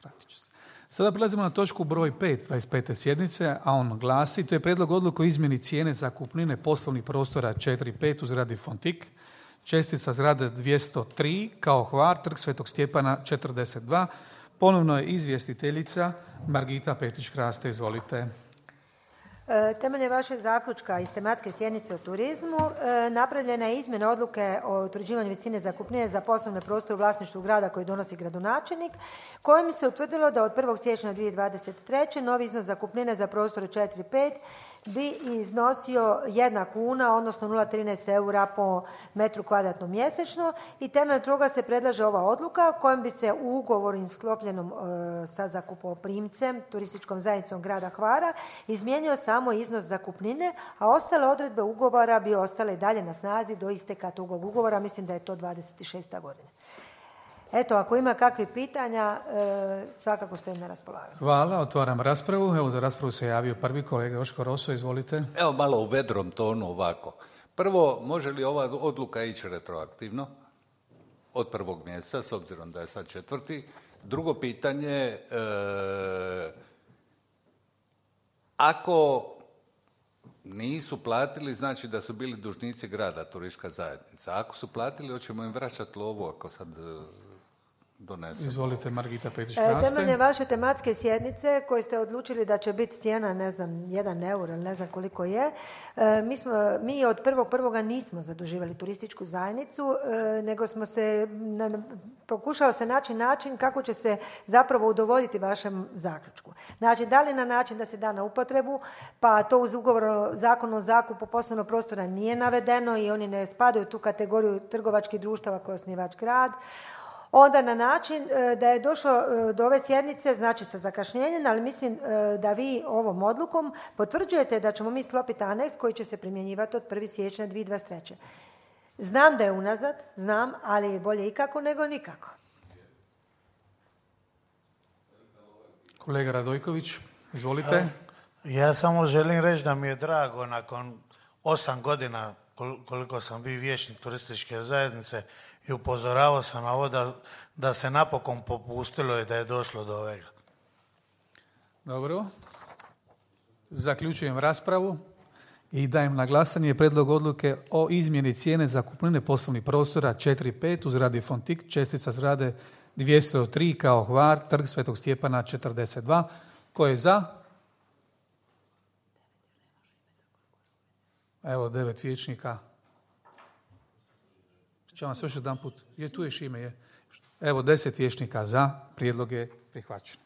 Vratit ću se. Sada prelazimo na točku broj 5 25. sjednice, a on glasi: to je prijedlog odluke o izmjeni cijene zakupnine poslovnih prostora 4.5 u zgradi Fontik, čestica zgrade 203 kao Hvar, Trg Svetog Stjepana 42. Ponovno je izvjestiteljica Margita Petrić-Kraste. Izvolite. Temeljem vašeg zaključka iz tematske sjednice o turizmu napravljena je izmjena odluke o utvrđivanju visine zakupnine za poslovne prostore u vlasništvu grada koji donosi gradonačelnik, kojim se utvrdilo da od 1. siječnja 2023. novi iznos zakupnine za prostore 4.5 bi iznosio 1 kuna, odnosno 0,13 eura po metru kvadratnom mjesečno, i temeljem toga se predlaže ova odluka kojom bi se u ugovoru sklopljenom sa zakupoprimcem, turističkom zajednicom grada Hvara, izmijenio samo iznos zakupnine, a ostale odredbe ugovora bi ostale dalje na snazi do isteka tog ugovora. Mislim da je to 26. godine. Eto, ako ima kakvih pitanja, svakako stojim na raspolaganju. Hvala, otvaram raspravu. Evo, za raspravu se javio prvi kolega Joško Roso, izvolite. Evo malo u vedrom tonu ovako. Prvo, može li ova odluka ići retroaktivno od 1. mjeseca, s obzirom da je sad 4. Drugo pitanje, ako nisu platili, znači da su bili dužnici grada, turistička zajednica. Ako su platili, hoćemo im vraćati lovu ako sad donesemo. Izvolite, Margita Petrić-Kraste. Temeljem vaše tematske sjednice koje ste odlučili da će biti cijena, ne znam, 1 euro ili ne znam koliko je, mi od 1.1. nismo zaduživali turističku zajednicu, nego smo se, pokušao se naći način kako će se zapravo udovoljiti vašem zaključku. Znači, da li na način da se da na upotrebu, pa to uz ugovor o zakonu o zakupu poslovnog prostora nije navedeno i oni ne spadaju u tu kategoriju trgovačkih društava koje osnivač grad, onda na način da je došlo do ove sjednice, znači sa zakašnjenjem, ali mislim da vi ovom odlukom potvrđujete da ćemo mi sklopiti aneks koji će se primjenjivati od 1. siječnja 2023. Znam da je unazad, znam, ali je bolje ikako nego nikako. Kolega Radojković, izvolite. Ja samo želim reći da mi je drago nakon 8 godina koliko sam bio vijećnik turističke zajednice i upozoravao sam na ovo da se napokon popustilo i da je došlo do ovega. Dobro. Zaključujem raspravu i dajem na glasanje prijedlog odluke o izmjeni cijene zakupnine poslovnih prostora 4.5 u zgradi Fontik, čestica zgrade 203 kao Hvar, Trg Svetog Stjepana 42. Ko je za? Evo, 9 vijećnika. Ću vam se još jedan put. Tu je Šime, je. Evo, 10 vijećnika za. Prijedlog je prihvaćen.